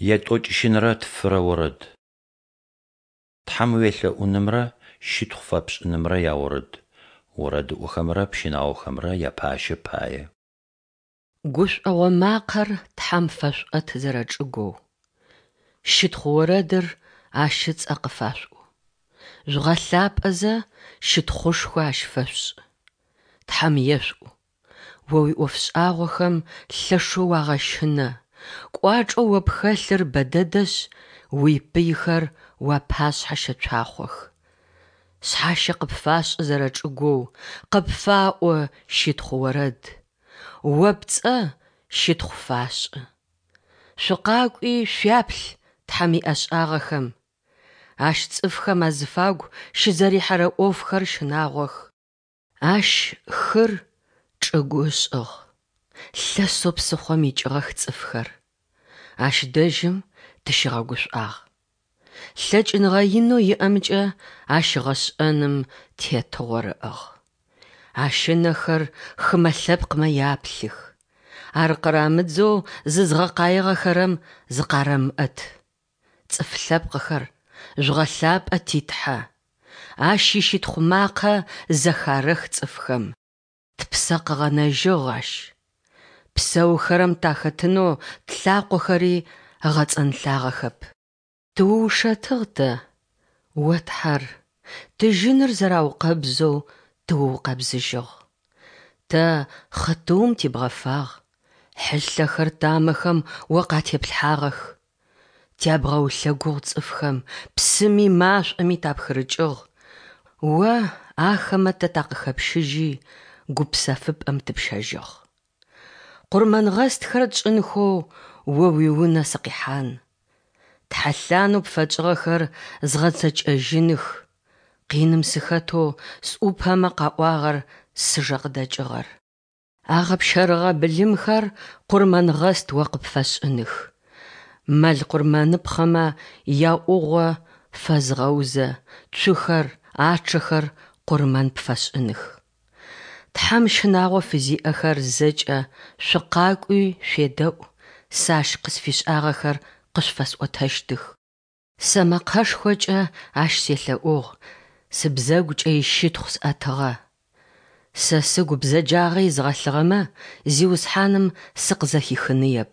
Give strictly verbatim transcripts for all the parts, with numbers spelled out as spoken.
Етӏокӏищынрэ тфырэ орэд. Тхьэм уелъэӏунымрэ щытхъу фэпшӏынымрэ яорэд. Орэдыӏохэмрэ пщынаохэмрэ япащэ пае. Гушӏогъо макъэр Тхьэм фэшъуӏэт зэрэчӏыгоу, щытхъу орэдыр Ащ ыцӏэ къыфашъуӏу. Жъугъэлъапӏэзэ, щытхъушхо Ащ фэшъушӏ. Тхьэм ешъуӏу: О уиӏофшӏагъохэм лъэшэу уагъэщынэ, кӏуачӏэу О пхэлъыр бэдэдэшъ, уипыйхэр уапашъхьэ щэцуахъох. Шъхьащэ къыпфашӏы зэрэчӏыгоу, къыпфаӏо щытхъу орэд, О пцӏэ щытхъу фашӏы. Шъукъакӏуи шъуяплъ Тхьэм иӏэшӏагъэхэм, Ащ цӏыфхэм азыфагу щызэрихьэрэ ӏофхэр щынагъох. Ащ хыр чӏыгу ышӏыгъ, лъэсэу псыхъом икӏыгъэх цӏыфхэр. Ащ дэжьым тыщигъэгушӏуагъ. Лъэкӏыныгъэ инэу иӏэмкӏэ Ащ гъэшӏэным тетыгъор ыӏыгъ. Ащ ынэхэр хымэ лъэпкъмэ яплъых. Ар къырамыдзэу зызгъэкъаигъэхэрэм зыкъарэмыӏэт. Цӏыф лъэпкъхэр, жъугъэлъапӏэ ти Тхьэ! Ащ ищытхъу макъэ зэхарэх цӏыфхэм. Тпсэ къыгъэнэжьыгъ Ащ. Псэухэрэм тахэтынэу тлъакъохэри ыгъэцӏэнлъагъэхэп. Тыуушэтыгъ тэ, О Тхьэр, тыжьыныр зэраукъэбзэу тыуукъэбзыжьыгъ. Тэ хъытыум тибгъэфагъ, хьылъэхэр тамэхэм О къатеплъхьагъэх. Тябгъэулъэгугъ цӏыфхэм, псыми машӏоми тапхырыкӏыгъ, О ахэмэ тэ такъыхэпщыжьи, гупсэфыпӏэм тыпщэжьыгъ. Къурмэнгъэстхэр тшӏынхэу О уиунэ сыкъихьан. Тхьэлъанэу пфэтшӏыгъэхэр згъэцэкӏэжьыных, къиным сыхэтэу сӏупэмэ къаӏуагъэр сыжэ къыдэкӏыгъэр. Агъэпщэрыгъэ былымхэр къурмэнгъэст О къыпфэсшӏыных, мэл къурмэныпхъэмэ яӏугъо фэзгъэузэ, цухэр, ачъэхэр къурмэн пфэсшӏыных. Тхьэм щынагъо фызиӏэхэр зэкӏэ, шъукъакӏуи шъуедэӏу, сэ Ащ къысфишӏагъэхэр къышъуфэсӏотэщтых. Сэ мэкъэшхокӏэ Ащ селъэӏугъ, сыбзэгукӏэ ищытхъу сӏэтыгъэ. Сэ сыгу бзэджагъэ изгъэлъыгъэмэ, Зиусхьаным сыкъызэхихыныеп.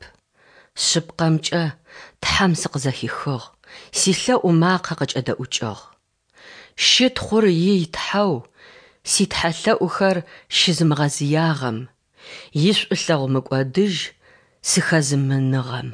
Шъыпкъэмкӏэ, Тхьэм сыкъызэхихыгъ, силъэӏу макъэ къыкӏэдэӏукӏыгъ. Щытхъур ий Тхьэу, ситхьэлъэӏухэр щызымыгъэзыягъэм, ишӏулъэгъу мыкӏодыжь сыхэзымыныгъэм.